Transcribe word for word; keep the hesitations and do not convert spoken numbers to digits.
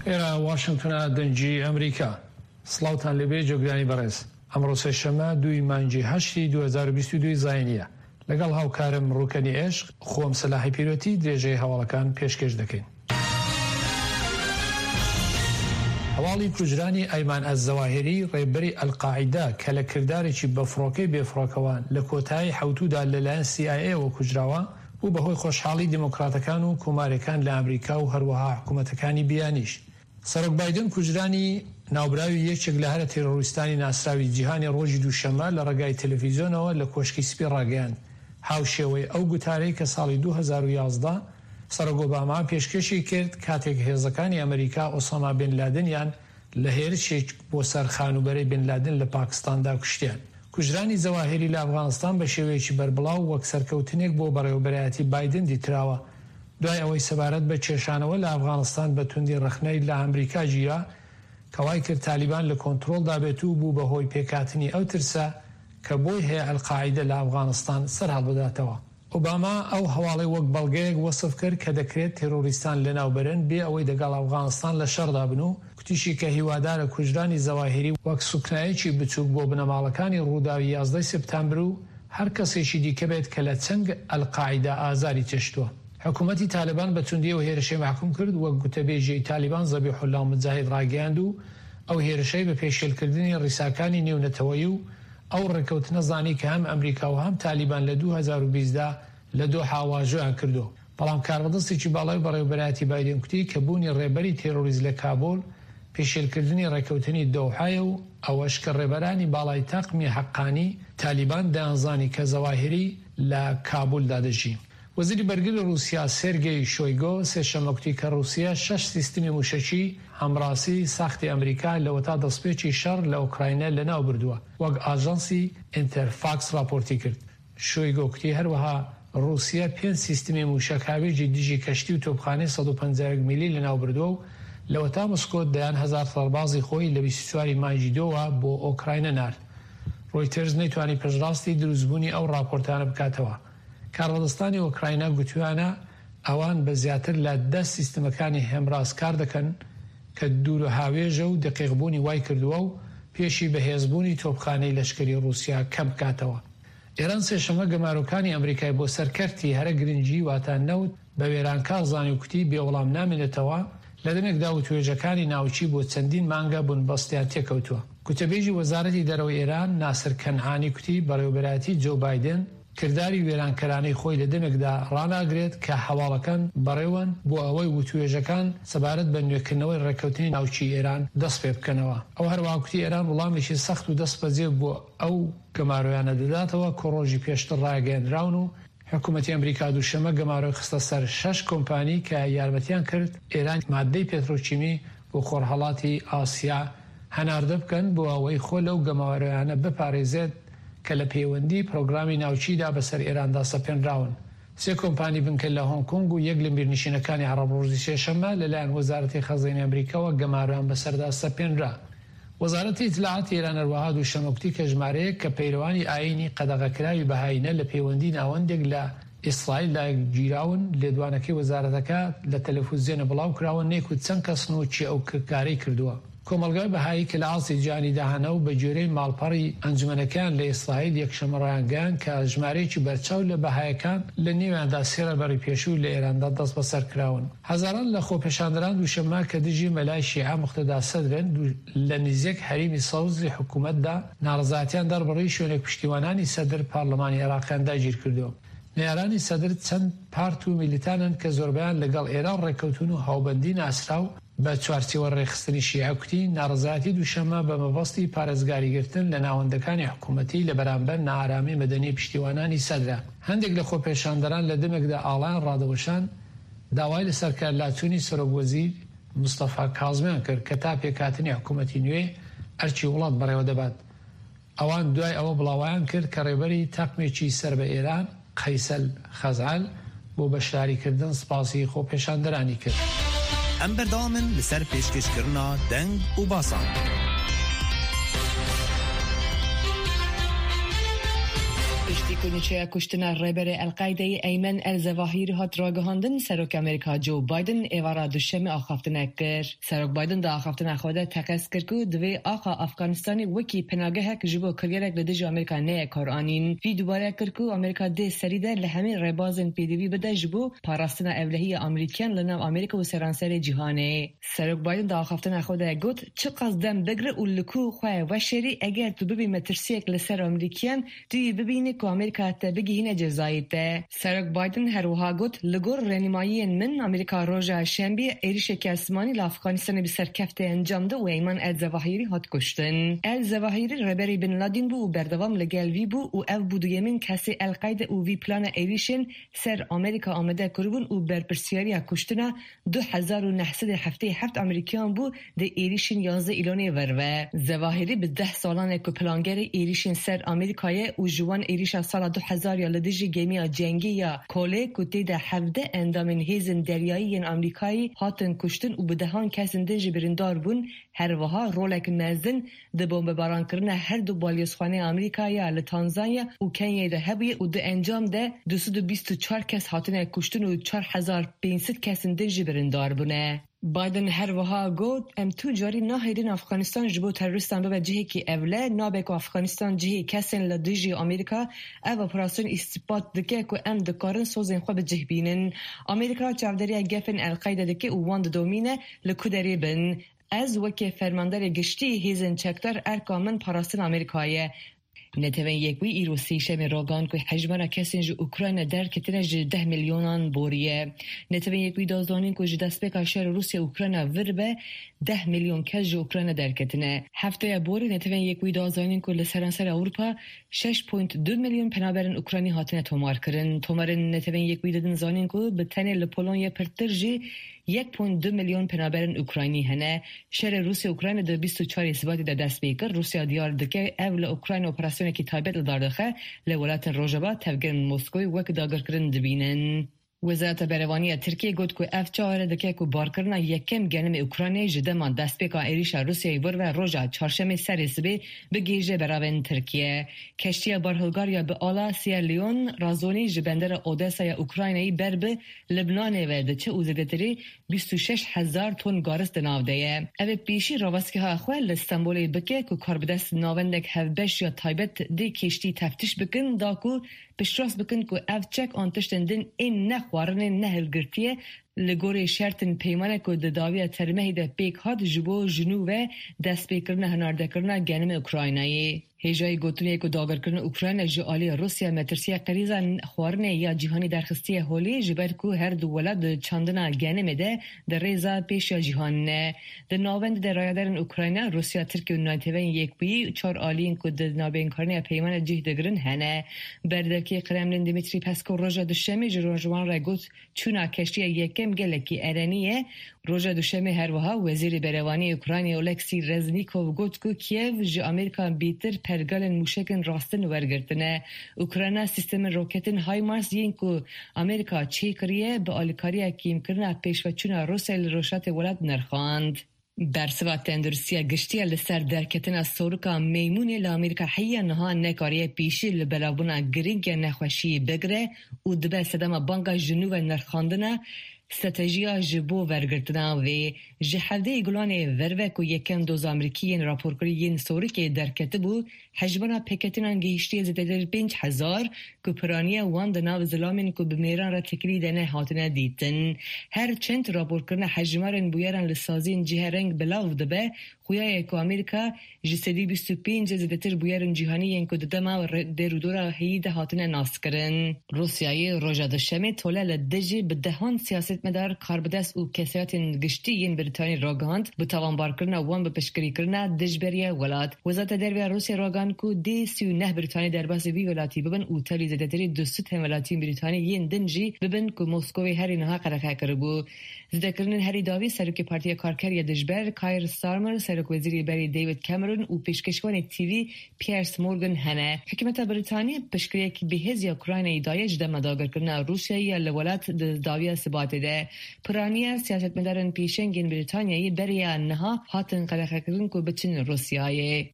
ئێرە واشنگتنە، دەنگی ئەمریکا. سڵاوتان لێبێ جۆگرانی بەڕێز. ئەمڕۆ سێشەممە دووی مانگی هەشتی دوو هەزار و بیست و دوو زاینییە. لەگەڵ هاوکارم ڕوکەنی عێشق، خۆم سەلاحی پیرۆتی درێژەی هەواڵەکان پێشکێش دەکەین. هەواڵی کوژرانی ئەیمان ئەلزەواهیری ڕێبەری ئەلقاعیدە کە لە کردارێکی بە فڕۆکەی بێفڕۆکەوان لە کۆتایی حەوتوودا لەلایەن سی ئای ئەیەوە کوژراوە، بوو بەهۆی خۆشحاڵی دیموکراتەکان و کۆماریەکان لە ئەمریکا و هەروەها حکوومەتەکانی بیانیش. سەرۆک بایدن کوژرانی ناوبراوی یەکێک لە هەرە تێرۆریستانی ناسراوی جیهانی ڕۆژی دووشەممە لە ڕێگای تەلەفیزیۆنەوە لە کۆشکی سپی ڕاگەیاند، هاوشێوەی ئەو گوتارەی کە ساڵی دوو هەزار و یازدە سەرۆک ئۆباما پێشکێشی کرد کاتێک هێزەکانی ئەمریکا ئۆساما بن لادنیان لە هێرشێک بۆ سەر خانووبەرەی بن لادن لە پاکستاندا کوشتیان. کوژرانی زەواهیری لە ئەفغانستان بە شێوەیەکی بەربڵاو وەک سەرکەوتنێک بۆ بەڕێوەبەرایەتی بایدن دیتراوە، دوای ئەوەی سەبارەت بە کێشانەوە لە ئەفغانستان بە توندی ڕەخنەی لە ئەمریکا گیرا کە وای کرد تالیبان لە کۆنترۆڵدا بێت و بوو بەهۆی پێکهاتنی ئەو ترسە کە بۆی هەیە ئەلقاعیدە لە ئەفغانستان سەرهەڵبداتەوە. ئۆباما ئەو هەواڵەی وەک بەڵگەیەک وەسف کرد کە دەکرێت تێرۆریستان لەناوبەرن بێ ئەوەی دەگەڵ ئەفغانستان لە شەڕدا بن و کوتیشی کە هیوادارە کوژرانی زەواهیری وەک سوکنایەکی بچووک بۆ بنەماڵەکانی ڕووداوی یازدەی سپتامبر و هەر کەسێکی دیکە بێت کە لە چنگ ئەلقاعیدە ئازاری چێشتووە. حکوومەتی تالیبان بە توندی ئەو هێرشەی مەحکوم کرد، وەک گوتەبێژی تالیبان زەبیحوڵڵا موجاهید ڕاگەیاند و ئەو هێرشەی بە پێشێلکردنی ڕیساکانی نێونەتەوەیی و ئەو ڕێکەوتنە زانی کە هەم ئەمریکا و هەم تالیبان لە دوو هەزار و بیست دا لە دۆحا واژۆیان کردو. بەڵام کاربەدەستێکی باڵای بەڕێوەبەرایەتی بایدن کوتی کە بوونی ڕێبەری تێرۆریست لە کابول پێشێلکردنی ڕێکەوتنی دۆحایە و ئەوەش کە ڕێبەرانی باڵای تاقمی حەقانی تالیبان دەیانزانی کە زەواهیری لە کابولدا دەژی. وەزیری بەرگری ڕووسیا سێرگی شۆیگۆ سێشەممە کوتی کە ڕووسیا شەش سیستمی موشەکی هەمڕاسی ساختی ئەمریکا لەوەتا دەستپێکی شەڕ لە ئۆکراینا لەناو بردووە، وەک ئاژانسی ئینتەرفاکس ڕاپۆرتی کرد. شۆیگۆ کوتی هەروەها ڕووسیا پێنج سیستمی موشەک هاوێژی دژی کەشتی و تۆپخانەی سەد و پەنجا و یەک میلی لەناو بردووە و لەوەتا مسکۆ دەیان هەزار سەربازی خۆی لە بیست و چوار مانگی دووە بۆ ئۆکراینا نارد. ڕۆیتەرز نەیتوانی پشتڕاستی دروستبوونی ئەو ڕاپۆرتانە بکاتەوە. کاربەدەستانی ئۆکراینا گوتویانە ئەوان بە زیاتر لە دە سیستمەکانی هێمراز کار دەکەن کە دوورهاوێژە و دقیقبوونی وای کردووە و پێشی بەهێزبوونی تۆپخانەی لەشکری ڕووسیا کەم بکاتەوە. ئێران سێشەممە گەمارۆکانی ئەمریکای بۆ سەرکەرتی هەرە گرنگی واتە نەوت بە وێرانکار زانی و کوتی بێوەڵام نامێنێتەوە لە دەمێکدا وتوێژەکانی ناوچی بۆ چەندین مانگە بنبەستیان تێکەوتووە. گوتەبێژی وەزارەتی دەرەوەی ئێران ناسر کەنعانی کوتی بەڕێوەبەرایەتی جۆ بایدن کرداری وێرانکەرانەی خۆی لە دەمێکدا ڕاناگرێت کە هەواڵەکان بەڕێوەن بۆ ئەوەی وتوێژەکان سەبارەت بە نوێکردنەوەی ڕێککەوتنی ناوچی ئێران دەست پێ بکەنەوە. ئەو هەروەها کوتی ئێران وڵامێکی سەخت و دەستبەجێ بۆ ئەو گەمارۆیانە دەداتەوە کە ڕۆژی پێشتر ڕاگەیەندراون و حکوومەتی ئەمریکا دووشەممە گەمارۆی خستە سەر شەش کۆمپانی کە یارمەتیان کرد ئێران مادەی پێترۆکیمی بۆ خۆرهەڵاتی ئاسیا هەناردە بکەن بۆ ئەوەی خۆ لەو گەمارۆیانە بپارێزێت کە لە پەیوەندی پرۆگرامی ناوچیدا بەسەر ئێراندا سەپێنراون. سێ کۆمپانی بنکە لە هۆنگ کۆنگ و یەک لە میرنشینەکانی عەرەب ڕۆژی سێشەممە لەلایەن وەزارەتی خەزێنەی ئەمریکاوە گەمارۆیان بەسەردا سەپێنرا. وەزارەتی ئیتلاعاتی ئێران هەروەها دووشەممە کوتی کە ژمارەیەک کە پەیرەوانی ئایینی قەدەغەکراوی بەهایینە لە پەیوەندی ناوەندێک لە ئیسرائیلدا گیراون. لێدوانەکەی وەزارەتەکە لە تەلەفزیۆنە بڵاو کراوە نەیکوت چەند کەسن و کێ ئەو کارەی کردووە. کۆمەڵگای بەهایی کە لە ئاستی جیهانیدا هەنە و بە گوێرەی ماڵپەڕی ئەنجومەنەکەیان لە ئیسرائیل یەکشەممە ڕایانگەیاند کە ژمارەیەکی بەرچاو لە بەهایەکان لە نێویاندا سێ ڕێبەری پێشوو لە ئێراندا دەست بەسەر کراون. هەزاران لە خۆپێشاندەران دووشەممە کە دژی مەلای شیعە موقتەدا سەدرن لە نزیک هەریمی سەوزی حکوومەتدا ناڕەزایەتیان دەربڕی شوێنێک پشتیوانانی سەدر پارلەمانی عێراقیان داگیر کردو. نەیارانی سەدر چەند پارت و میلیتانن کە زۆربەیان لەگەڵ ئێران ڕێککەوتون و هاوبەندی ناسراو بە چوارچێوە ڕێکخستنی شیعە کوتی ناڕەزایەتی دووشەممە بە مەبەستی پارێزگاریگرتن لە ناوەندەکانی حکوومەتی لە بەرامبەر نائارامی مەدەنی پشتیوانانی سەدرە. هەندێک لە خۆپێشاندەران لە دەمێکدا ئاڵایان ڕادەوەشان داوای لە سەرکارلاچوونی سەرۆک وەزیر مستەفا کازمیان کرد کە تا پێکهاتنی حکوومەتی نوێ ئەرکی وڵات بەڕێوە دەبات. ئەوان دوای ئەوە بڵاویان کرد کە ڕێبەری تاقمێکی سەر بە ئێران قەیسەل خەزعەل بۆ بەشداریکردن سپاسی خۆپێشاندەرانی کرد. ئەم بەردەوامن لەسەر پێشکەشکردنا دەنگ و باسان. پشتی کو نوچەیە کوشتنا ڕێبەرێ ئەلقایدەی ئەیمەن ئەلزەواهیری هات ڕاگەهاندن، سەرۆک ئەمریکا جۆ بایدن ئێوارە دوشەمê ئاخافتنە کرد. سەرۆک بایدن دا ئاخافتنا خwe de teqez kir ku divê axa Afganistanê wekî penagehek ji bo kiryarek li dijî Amerîka neyê karanîn. Wî dubare kir ku Amerîka dê serî de li hemî rêbazên pêdivî bide ji bo parastina ewlehiya Amerîkiyan li nav Amerîka û seranserê cîhanê. Serok Biden di axaftina xwe de got, çi qas dem bigire û li ku xwe weşerî eger tu bibî metirsiyek li ser Amerîkiyan, tu yê bibînî ku Amerîka te bigihîne cezayê te. Serok Biden her wiha got, li gor rênimayiyên min Amerîka roja şembî êrişeke esmanî li Afganistanê bi serkeftê encam da û Eyman El-Zewahirî hat kuştin. El-Zewahirî rêberê Bin Ladin bû û berdewam li gel wî bû û ev bû duyemîn kesê El-Qayde û wî plana êrişên ser Amerîka amade kiribûn û berpirsiyariya kuştina du hezar û neh sed û heftê û heft Amerîkiyan bû di êrişên yazdeh îlonê verve. Zewahirî bi deh salan e ku plangerê êrişên ser Amerîkayê û ji wan êrişa sala du hezar ya li dijî gemiya cengî ya Kolê ku tê de hevdeh endamên hêzên deryayî yên Amerîkayî hatin kuştin û bi dehan kesên din jî birîndar bûn, her wiha rolek mezin di bombebarankirina her du balyozxaneya Amerîka ya li Tanzanya û Kenyayê de hebûye û di encam de du sed û bîst û çar kes hatine kuştin û çar hezar pênc sed kesên din jî birîndar bûne. Biden her wiha got, em tu carî nahêlin Afganistan ji bo terorîstan bibe cihekî ewle, nabe ku Afganistan cihê kesên li dijî Amerîka ev operasyon îstîbat dike ku em dikarin sozên xwe bi cih bînin. Amerîka çavdêriya gefên El-Qayde dike û wan didomîne li ku derê bin. Ez wekî fermandarê giştî hêzên çekdar erka min parastina Amerîkayê ye. Netewên Yekbûyî îro sêşemê ragihand ku hejmara kesên ji Ukrayna derketine ji deh milyonan boriye. Netewên Yekbûyî da zanîn ku ji destpêka şerê Rûsya Ukrayna vir be deh milyon kes ji Ukrayna derketine. Hefteya borî Netewên Yekbûyî da zanîn ku li seranser Ewropa şeş point du milyon penaberên Ukraynî hatine tomarkirin. Tomarên Netewên Yekbûyî didin zanîn ku bi tenê li Polonya pirtir jî yek point du milyon penaberên Ukraynî hene. Şerê Rûsya Ukrayna di bîst û çarê Sibatê de dest pê kir. Rûsya diyar dike ev li Ukrayna operasyonekî taybet li dar dixe, li welatên Rojava tevgerên Moskowê wek dagirkirin dibînin. Wezareta Berevaniya Tirkiyê got ku ev çare dike ku barkirina yekem genimê Ukraynayê ji dema destpêka êrişa Rûsyayê vir ve roja çarşemê serê sibê bigihîje beravên Tirkiye. Keştiya barhilgariya bi ala Sierra Leone razonî ji bendera Odessa ya Ukraynayê ber bi Libnanê ve diçe û zêdetirî bîst û şeş hezar ton garis di nav de ye. Ev ê pêşî rawestgeha xwe li Stenbolê bike ku karbidest navendek hevbeş ya taybet dê keştî teftiş bikin da ku piştrast bikin ku ev çek an tiştên din ên nexwarinên nehilgirtiye li gorî şertên peymane ku di dawiya termehê de pêk hat ji bo ji nû ve destpêkirina hinardekirina genimê Ukraynayê. Hêjayê gotinê ku dagirkirina Ukrayna ji aliyê Rûsya metirsiya qerîza xwarinê ya cîhanî derxistiye holê ji ber ku her du welat di çandina genimê de di rêza pêş ya cîhanê ne. Di navendê de rayedarên Ukrayna, Rûsya, Tirkiye û Neteweyên Yekbûyî çar aliyên ku di navbeynkariya peymana cih digirin hene. Berdevkê Kremlin Dmitri Peskov roja duşemê ji rojwan re got çûna keştiya yekem gelekî erenî ye. Roja duşemê her wiha Wezîrê Berevaniyê Ukraynayê Oleksiy Reznikov got ku Kiev ji Amerîka bêtir pergalên mûşekên rastin wergirtine. Ukrayna sîstemên roketên HIMARS yên ku Amerîka çêkiriye bi alîkariya kêmkirina pêşveçûna Rûsyayê li rojhilatê welat nirxand. Bersiva tenduristiya giştiya li ser derketina sorika meymûnê li Amerîka heya niha nekariye pêşî li belavbûna girîng ya nexweşiyê bigire û dibe sedema banga ji nû ve nirxandina stratejiya ji bo wergirtina wê. Ji hevdeh Gulanê verve ku yekem doza Amerîkî yên raporkirî yên sorikê derketibû, hejmara pêketinan gihîştiye zêdetir pênc hezar ku piraniya wan di nav zilamên ku bi mêran re têkilî de ne hatine dîtin. Her çend raporkirina hejmarên bûyeran li saziyên cihêreng belav dibe, xuya ye ku Amerîka ji sedî bîst û pênc zêdetir bûyerên cîhanî yên ku di dema derûdora heyî de hatine naskirin. Rûsyayê roja duşemê tole li dijî bi dehan siyasetmedar, karbidest û kesayetên giştî yên Brîtanî ragihand bi tawanbarkirina wan bi piştgirîkirina dijberiya welat. Wezareta Derve ya Rûsya ragihand ku dê sî û neh Brîtanî derbasî vî welatî bibin û tevlî zêdetirî du sed hemwelatiyên Brîtanî yên din jî bibin ku Moskowê herî niha qedexe kiribû. Zêdekirinên herî dawî Serokê Partiya Karker ya Dijber Keir Starmer, Serokwezîrê berê David Cameron û pêşkêşvanê T V Piers Morgan hene. Hikûmeta Brîtanî piştgiriyek bihêz ya Ukraynayê daye ji dema dagirkirina Rûsyayê ya li welat di dawiya Sibatê de. Piraniya siyasetmedarên pêşengên Brîtanyayê beriya niha hatin qedexekirin ku biçin Rûsyayê.